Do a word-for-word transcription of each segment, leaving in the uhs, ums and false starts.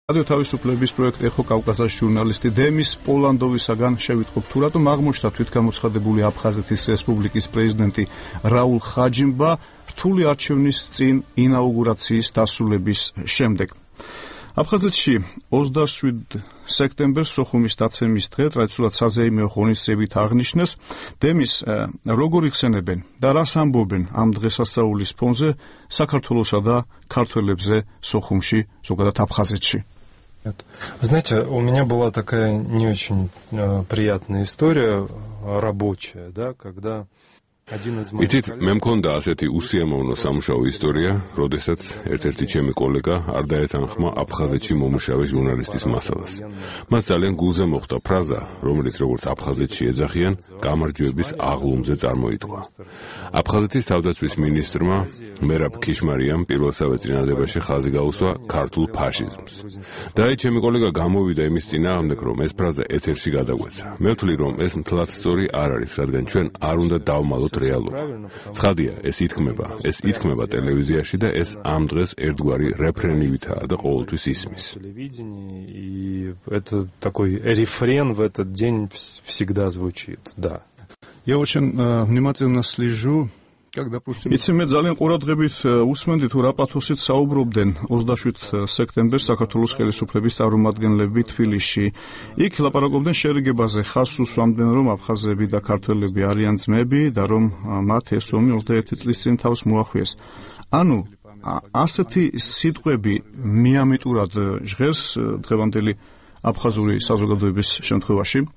რადიო თავისუფლების პროექტი ეხო კავკასიის ჟურნალისტი დემის პოლანდოვისაგან შევიტყობ თუ რატომ აღმოჩნდა თვითგამოცხადებული აფხაზეთის რესპუბლიკის პრეზიდენტი რაულ ხაჯიმბა რთული არჩევნის წინ ინაუგურაციის დასრულების შემდეგ. აფხაზეთში ოცდაშვიდ სექტემბერს სოხუმის დაცემის დღე ტრადიციულად საზეიმეო ღონისძიებით აღნიშნეს დემის როგორ იხსენებენ და რას ამბობენ ამ დღესასწაულის ფონზე საქართველოსა და ქართველებზე сохумში, ზოგადად აფხაზეთში. Вы знаете, у меня была такая не очень э, приятная история рабочая, да, когда один из моих იცით, მე მქონდა ასეთი უსიამოვნო სამუშაო ისტორია, როდესაც ერთ-ერთი ჩემი კოლეგა არ დაეთანხმა აფხაზეთში მომუშავე ჟურნალისტის მასალას. მას ძალიან გულზე მოხვდა ფრაზა, რომელიც როგორც აფხაზეთში ეძახიან, გამარჯვების აღლუმზე წარმოითქვა. აფხაზეთის თავდაცვის მინისტრმა მერაბ ქიშმარიამ პირველსავე წინადადებაში ხაზი გაუსვა ქართულ ფაშიზმს. და აი ჩემი კოლეგა გამოვიდა იმის წინააღმდეგ, რომ ეს ფრაზა ეთერში გადაგვეცა. მე ვთვლი, რომ ეს მთლად სწორი არ არის, რადგან ჩვენ არ უნდა დავმალოთ რეალობა. ცხადია, ეს ითქმება, ეს ითქმება ტელევიზიაში და ეს ამ დღეს ერთგვარი რეფრენივითაა და ყოველთვის ისმის. И это такой рефрен в этот день всегда звучит, да. Я очень внимательно слежу. იცი მე ძალიან ყურადღებით უსმენდი თუ რა პათოსით საუბრობდნენ ოცდაშვიდ სექტემბერს საქართველოს ხელისუფლების წარმომადგენლები თბილისში. იქ ლაპარაკობდნენ შერიგებაზე, ხაზს უსვამდნენ, რომ აფხაზები და ქართველები არიან ძმები და რომ მათ ეს ომი ოცდაერთი წლის წინ თავს მოახვიეს. ანუ ასეთი სიტყვები მიამიტურად ჟღერს დღევანდელი აფხაზური საზოგადოების შემთხვევაში.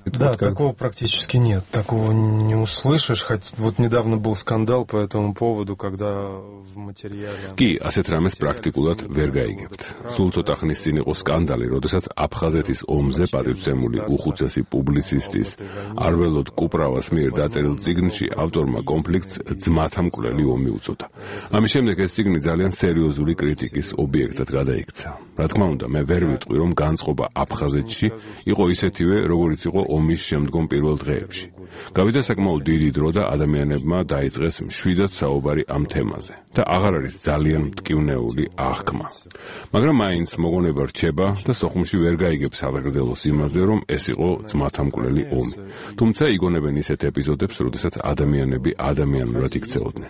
Да, такого практически нет, такого не услышишь, хоть вот недавно был скандал по этому поводу, когда в материале... კი, ასეთ რამეს პრაქტიკულად ვერ გაიგებთ. სულ ცოტა ხნის წინ იყო სკანდალი, როდესაც აფხაზეთის ომზე პატივცემული უხუცესი პუბლიცისტის არველოდ კუპრავას მიერ დაწერილ წიგნში ავტორმა კონფლიქტს ძმათა მკვლელი ომი უწოდა. ამის შემდეგ ეს წიგნი ძალიან სერიოზული კრიტიკის ობიექტად გადაიქცა. რა თქმა უნდა, მე ვერ ვიტყვი, რომ განწყობა აფხაზეთში იყო ისეთივე, როგორიც იყო ომის შემდგომ პირველ დღეებში. გავიდა საკმაოდ დიდი დრო და ადამიანებმა დაიწყეს მშვიდად საუბარი ამ თემაზე და აღარ არის ძალიან მტკივნეული აღქმა. მაგრამ მაინც მოგონება რჩება და სოხუმში ვერ გაიგებს აღგრძელოს იმაზე, რომ ეს იყო ძმათა მკვლელი ომი. თუმცა იგონებენ ისეთ ეპიზოდებს, როდესაც ადამიანები ადამიანურად იქცეოდნენ.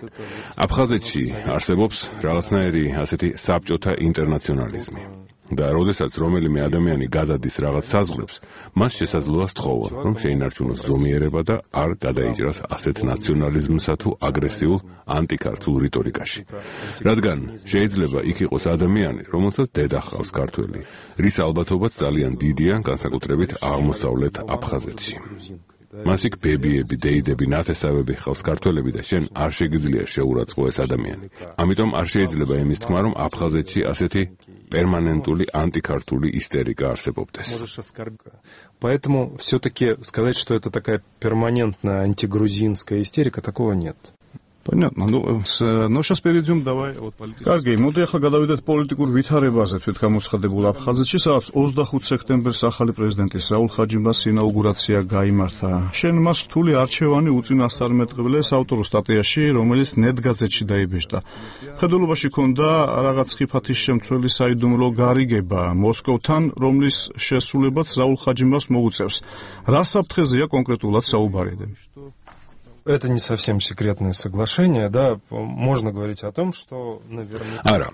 აფხაზეთში არსებობს რაღაცნაირი ასეთი საბჭოთა ინტერნაციონალიზმი. და როდესაც რომელიმე ადამიანი გადადის რაღაც საზღვრებს, მას შესაძლოა სთხოვა, რომ შეინარჩუნოს ზომიერება და არ გადაიჭრას ასეთ ნაციონალიზმსა თუ აგრესიულ ანტიქართულ რიტორიკაში. რადგან შეიძლება იქ იყოს ადამიანი, რომელსაც დედა ჰყავს ქართველი, რის ალბათობაც ძალიან დიდია, განსაკუთრებით აღმოსავლეთ აფხაზეთში. მას იქ ბებიები, დეიდები, ნათესავები ჰყავს ქართველები და შენ არ შეგიძლია შეურაცხყო ეს ადამიანი. ამიტომ არ შეიძლება იმის თქმა, რომ აფხაზეთში ასეთი перманентული антикартული истерика არსებობდეს. Поэтому все-таки сказать, что это такая перманентная антигрузинская истерика, такого нет. Понятно. Ну, но сейчас перейдем давай от политики. Კარგი, მოდი ახლა გადავიდეთ პოლიტიკურ ვითარებაზე თვითგამოცხადებულ აფხაზეთში, სადაც ოცდახუთ სექტემბერს ახალი პრეზიდენტის რაულ ხაჯიმბას ინაუგურაცია გაიმართა. შენ მას რთული არჩევანი უწინასწარმეტყველეს ავტორ სტატიაში, რომელიც ნეტგაზეთში დაიბეჭდა. ხედულობაში ქონდა რაღაც ხიფათის შემცველი საიდუმლო გარიგება მოსკოვთან, რომლის შესრულებაც რაულ ხაჯიმბას მოუწევს. რა საფრთხეზეა კონკრეტულად საუბარი? Это не совсем секретное соглашение, да, можно говорить о том, что наверняка... არა,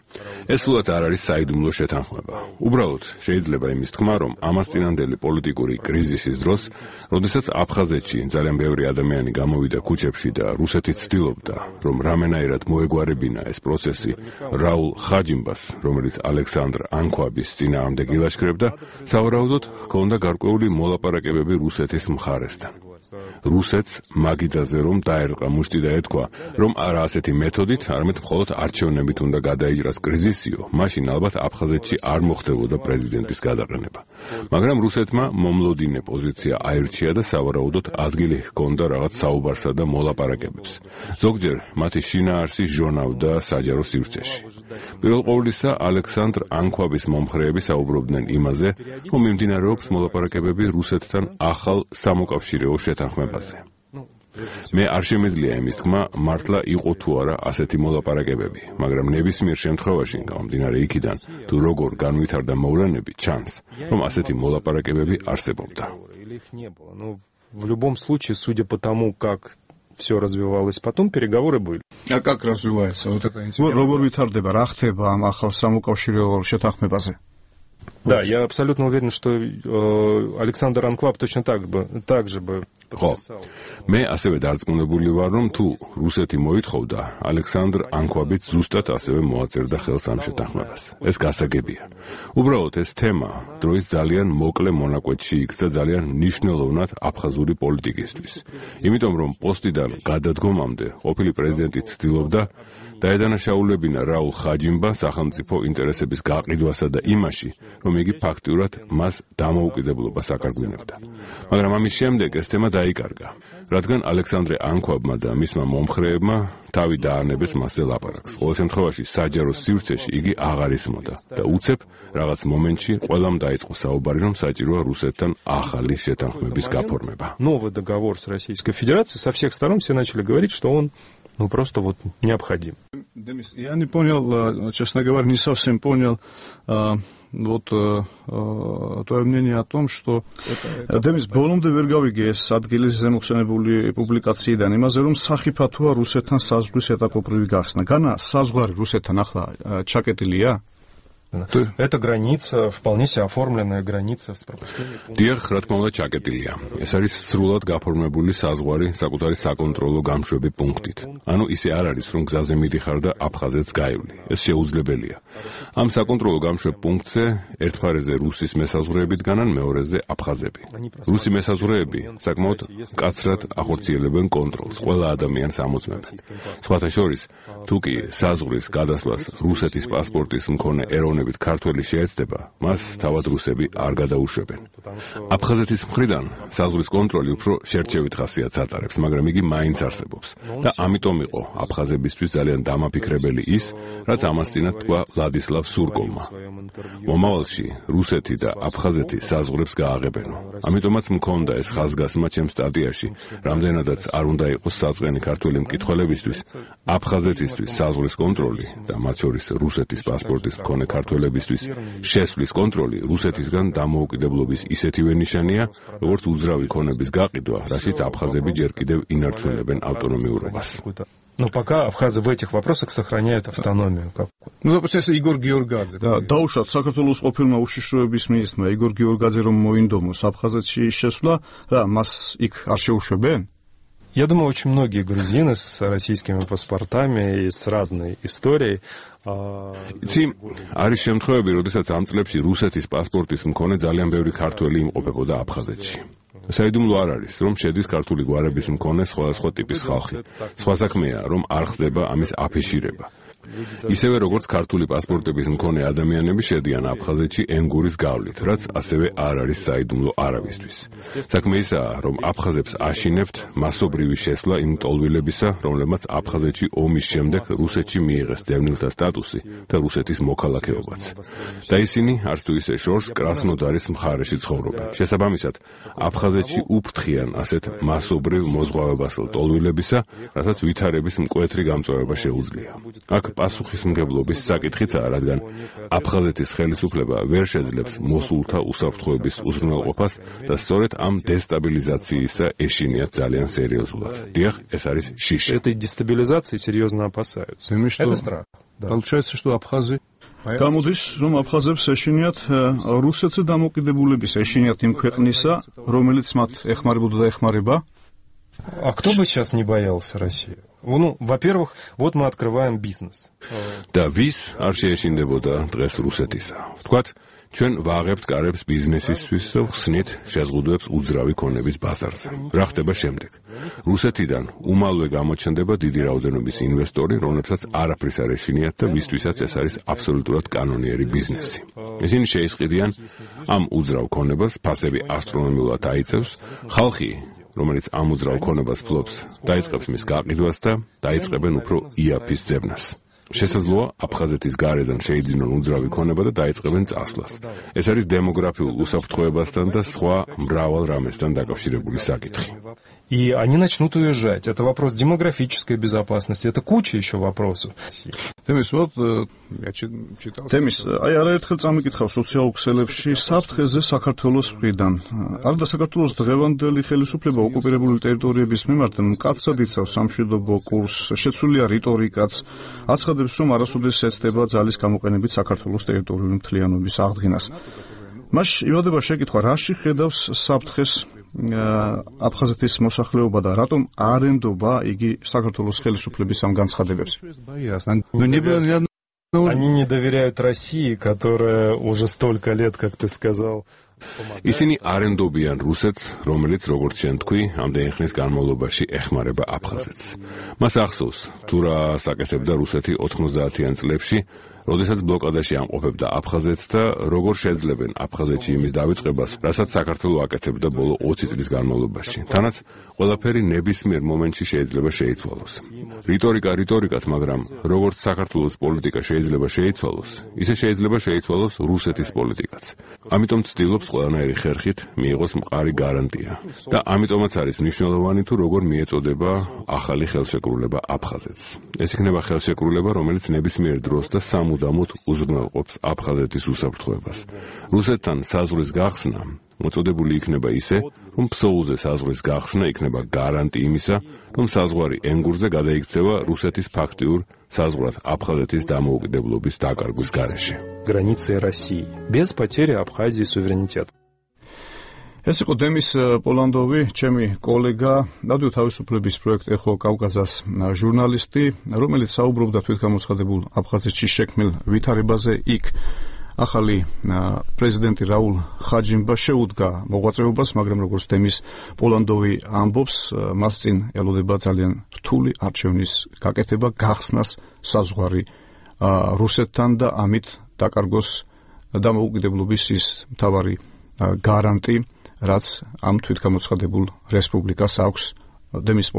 ეს სულაც არ არის საიდუმლო შეთანხმება. უბრალოდ შეიძლება იმის თქმა, რომ ამას წინანდელი პოლიტიკური კრიზისის დროს, როდესაც აფხაზეთში ძალიან ბევრი ადამიანი გამოვიდა ქუჩებში და რუსეთი ცდილობდა, რომ რამენაირად მოეგვარებინა ეს პროცესი რაულ ხაჯიმბას, რომელიც ალექსანდრ ანქვაბის წინააღმდეგ ილაშქრებდა, სავარაუდოდ ჰქონდა გარკვეული მოლაპარაკებები რუსეთის მხარესთან. რუსეთს მაგიდაზე რომ დაერყა მუშტი და ეთქვა, რომ არა ასეთი მეთოდით, არამედ მხოლოდ არჩევნებით უნდა გადაიჭრას კრიზისიო, მაშინ ალბათ აფხაზეთში არ მოხდებოდა პრეზიდენტის გადაყენება. მაგრამ რუსეთმა მომლოდინე პოზიცია აირჩია და სავარაუდოდ ადგილი ჰქონდა რაღაც საუბარსა და მოლაპარაკებებს. ზოგჯერ მათი შინაარსი ჟონავდა საჯარო სივრცეში. პირველ ყოვლისა, ალექსანდრ ანქვაბის მომხრეები საუბრობდნენ იმაზე, რომ მიმდინარეობს მოლაპარაკებები რუსეთთან ახალ სამოკავშირეო შეთანხმებაზე. მე არ შემეძლია იმის თქმა, მართლა იყო თუ არა ასეთი მოლაპარაკებები, მაგრამ nebismier შემთხვევაში, გამომდინარე იქიდან, თუ როგორ განვითარდა მოვლენები, ჩანს, რომ ასეთი მოლაპარაკებები არსებობდა. В любом случае, судя по тому, как все развивалось потом, переговоры были. А как развивается вот это интересно? Როგორ ვითარდება, რა ხდება ამ ახალ სამოკავშირეო შეთანხმებაზე? Да, я абсолютно уверен, что э, Александр Анклав точно так бы, так же бы ხო, მე ასევე დარწმუნებული ვარ, რომ თუ რუსეთი მოითხოვდა, ალექსანდრ ანქვაბიც ზუსტად ასევე მოაწერდა ხელს ამ შეთანხმებას. ეს გასაგებია. უბრალოდ ეს თემა დროის ძალიან მოკლე მონაკვეთში იქცა ძალიან მნიშვნელოვნად აფხაზური პოლიტიკისთვის. იმიტომ რომ პოსტიდან გადადგომამდე ყოფილი პრეზიდენტი ცდილობდა დაედანაშაულებინა რაულ ხაჯიმბა სახელმწიფო ინტერესების გაყიდვასა და იმაში, რომ იგი ფაქტიურად მას დამოუკიდებლობას აკარგვინებდა. მაგრამ ამის შემდეგ ეს თემა დაიკარგა, რადგან ალექსანდრე ანქვაბმა და მისმა მომხრეებმა თავი დაანებეს მასზე ლაპარაკს. ყოველ შემთხვევაში საჯარო სივრცეში იგი აღარ ისმოდა და უცებ რაღაც მომენტში ყველამ დაიწყო საუბარი, რომ საჭიროა რუსეთთან ახალი შეთანხმების გაფორმება. Новый договор с Российской Федерацией, со всех сторон все начали говорить, что он ну просто вот необходим. Демис, я не понял, честно говоря, не совсем понял а, вот а, твое мнение о том, что Демис, ბოლომდე ვერ გავიგე ეს ადგილის ზემოხსენებული პუბლიკაციიდან იმაზე, რომ სახიფათოა რუსეთთან საზღვრის ეტაპობრივი გახსნა. განა საზღვარი რუსეთთან ახლა ჩაკეტილია? Это граница, вполне себе оформленная граница с пропускными пунктами. დიახ, რა თქმა უნდა, ჩაკეტილია. ეს არის სრულად გაფორმებული საზღვარი საკუთარი საკონტროლო გამშვები პუნქტით. ანუ ისე არ არის, რომ გზაზე მიდიხარ და აფხაზეთს გაივლი. ეს შეუძლებელია. ამ საკონტროლო გამშვებ პუნქტზე ერთ მხარეზე რუსის მესაზღვრეები დგანან, მეორეზე აფხაზები. რუსი მესაზღვრეები საკმაოდ მკაცრად ახორციელებენ კონტროლს, ყველა ადამიანს ამოწმებენ. სხვათა შორის, თუ კი საზღვრის გადასვლას რუსეთის პასპორტის მქონე ეროვნული ქართველი შეეცდება, მას თავად რუსები არ გადაუშვებენ. აფხაზეთის მხრიდან საზღვრის კონტროლი უფრო შერჩევით ხასიათს ატარებს, მაგრამ იგი მაინც არსებობს და ამიტომ იყო აფხაზებისთვის ძალიან დამაფიქრებელი ის, რაც ამას წინათ თქვა ვლადისლავ სურკოვმა. მომავალში რუსეთი და აფხაზეთი საზღვრებს გააღებენო. ამიტომაც მქონდა ეს ხაზგასმა ჩემ სტატიაში, რამდენადაც არ უნდა იყოს საწყენი ქართველი მკითხველებისთვის, აფხაზეთისთვის საზღვრის კონტროლი და მათ შორის რუსეთის პასპორტის მქონე ქართველებისთვის შესვლის კონტროლი რუსეთისგან დამოუკიდებლობის ისეთივე ნიშანია, როგორც უძრავი ქონების გაყიდვა, რაშიც აფხაზები ჯერ კიდევ ინარჩუნებენ ავტონომიურობას. Но пока абхазы в этих вопросах сохраняют автономию. Ну, допустим, Игорь Георгадзе. Да, დაუშვათ საქართველოს ყოფილმა უშიშროების მინისტრმა იგორ გიორგაძე რომ მოინდომოს აფხაზეთში შესვლა, რა მას იქ არ შეუშვებენ? Я думаю, очень многие грузины с российскими паспортами и с разной историей. იცი, არის შემთხვევები, როდესაც ამ წლებში რუსეთის პასპორტის მქონე ძალიან ბევრი ქართველი იმყოფებოდა აფხაზეთში. საიდუმლო არ არის, რომ შედის ქართული გვარების მქონე სხვადასხვა ტიპის ხალხი. სხვა საქმეა, რომ არ ხდება ამის აფიშირება. ისევე როგორც ქართული პასპორტების მქონე ადამიანები შედიან აფხაზეთში ენგურის გავლით, რაც ასევე არ არის საიდუმლო არავისთვის. საქმე ისაა, რომ აფხაზებს აშინებთ მასობრივი შესვლა იმ ტოლვილებისა, რომლებმაც აფხაზეთში ომის შემდეგ რუსეთში მიიღეს დევნილთა სტატუსი და რუსეთის მოქალაქეობაც. და ისინი არც თუ ისე შორს კრასნოდარის მხარეში ცხოვრობენ. შესაბამისად, აფხაზეთში უფრთხიან ასეთ მასობრივ მოზღვავებასელ ტოლვილებისა, რასაც ვითარების მკვეთრი გამწვავება შეუძლია. აქ პასუხისმგებლობის საკითხიცაა, რადგან აფხაზეთის ხელისუფლება ვერ შეძლებს მოსულთა უსაფრთხოების უზრუნველყოფას და სწორედ ამ дестабилизациისა ეშინიათ ძალიან სერიოზულად. დიახ, ეს არის შიში. Этой дестабилизации серьезно опасаются. Это страх. Получается, что абхазы გამოდის, რომ აფხაზებს ეშინიათ რუსეთზე დამოკიდებულების ეშინიათ იმ ქვეყნისა, რომელიც მათ ეხმარებოდა და ეხმარება. А кто бы сейчас не боялся России? Ну, во-первых, вот мы открываем бизнес. და ვის არ შეეშინდებოდა დღეს რუსეთისა? ვთქვათ, ჩვენ ვაღებთ კარებს ბიზნესისთვის და ხსნით შეზღუდვებს უძრავი ქონების ბაზარზე. რა ხდება შემდეგ? რუსეთიდან უმალვე გამოჩნდება დიდი რაოდენობის ინვესტორი, რომლებსაც არაფრის არ ეშინიათ და ვისთვისაც ეს არის აბსოლუტურად კანონიერი ბიზნესი. ისინი შეისყიდიან ამ უძრავ ქონებას, ფასები ასტრონომიულად აიწევს, ხალხი რომელიც ამ უძრავ ქონებას ფლობს, დაიწყებს მის გაყიდვას და დაიწყებენ უფრო იაფის ძებნას. შესაძლოა აფხაზეთის გარედან შეიძინონ უძრავი ქონება და დაიწყებენ წასვლას. ეს არის დემოგრაფიულ უსაფრთხოებასთან და სხვა მრავალ რამესთან დაკავშირებული საკითხი. и они начнут уезжать. Это вопрос демографической безопасности, это куча еще вопросов. Демис, вот я читал. Демис, აი არაერთხელ წამიკითხავ სოციალურ ქსელებში საფრთხეზე საქართველოს მხრიდან. არდა საქართველოს დღევანდელი ხელისუფლება ოკუპირებული ტერიტორიების მიმართ მკაცრად იცავს სამშვიდობო კურსს, შეცვლილია რიტორიკაც, აცხადებს, რომ არასოდეს ეცდება ძალის გამოყენებით საქართველოს ტერიტორიული მთლიანობის აღდგენას. მას ივადება შეკითხვა, რაში ხედავს საფრთხეს აფხაზეთის მოსახლეობა და რატომ არ ემდობა იგი საქართველოს ხელისუფლების ამ განცხადებებს? Они не доверяют России, которая уже столько лет, как ты сказал. ისინი არ ენდობიან რუსეთს, რომელიც როგორც შენ თქვი, ამდენი ხნის განმავლობაში ეხმარება აფხაზეთს. მას ახსოვს, თუ რა საკეთებდა რუსეთი ოთხმოცდაათიან წლებში, როდესაც ბლოკადაში ამყოფებდა აფხაზეთს და როგორ შეძლებენ აფხაზეთში იმის დავიწყებას, რასაც საქართველო აკეთებდა ბოლო ოცი წლის განმავლობაში. თანაც ყველაფერი ნებისმიერ მომენტში შეიძლება შეიცვალოს. რიტორიკა რიტორიკად, მაგრამ როგორც საქართველოს პოლიტიკა შეიძლება შეიცვალოს, ისე შეიძლება შეიცვალოს რუსეთის პოლიტიკაც. ამიტომ ცდილობს ყველანაირი ხერხით მიიღოს მყარი გარანტია. და ამიტომაც არის მნიშვნელოვანი თუ როგორ მიეწოდება ახალი ხელშეკრულება აფხაზეთს. ეს იქნება ხელშეკრულება, რომელიც ნებისმიერ დროს და სამუდამოდ უზრუნველყოფს აფხაზეთის უსაფრთხოებას. რუსეთთან საზღვრის გახსნა მოწოდებული იქნება ისე, რომ ფსოუზე საზღვრის გახსნა იქნება გარანტი იმისა, რომ საზღვარი ენგურზე გადაიქცევა რუსეთის ფაქტიურ საზღვრად აფხაზეთის დამოუკიდებლობის დაკარგვის გარეშე. Границы России без потери Абхазии суверенитета. ეს იყო დემის პოლანდოვი, ჩემი კოლეგა, რადიო თავისუფლების პროექტ ეხო კავკასას ჟურნალისტი, რომელიც საუბრობდა თვითგამოცხადებულ აფხაზეთში შექმნილ ვითარებაზე. იქ ახალი პრეზიდენტი რაულ ხაჯიმბა შეუდგა მოღვაწეობას, მაგრამ როგორც დემის პოლანდოვი ამბობს, მას წინ ელოდება ძალიან რთული არჩევნის გაკეთება, გახსნას საზღვარი რუსეთთან და ამით დაკარგოს დამოუკიდებლობის ის მთავარი გარანტი, რაც ამ თვითგამოცხადებულ რესპუბლიკას აქვს. დემის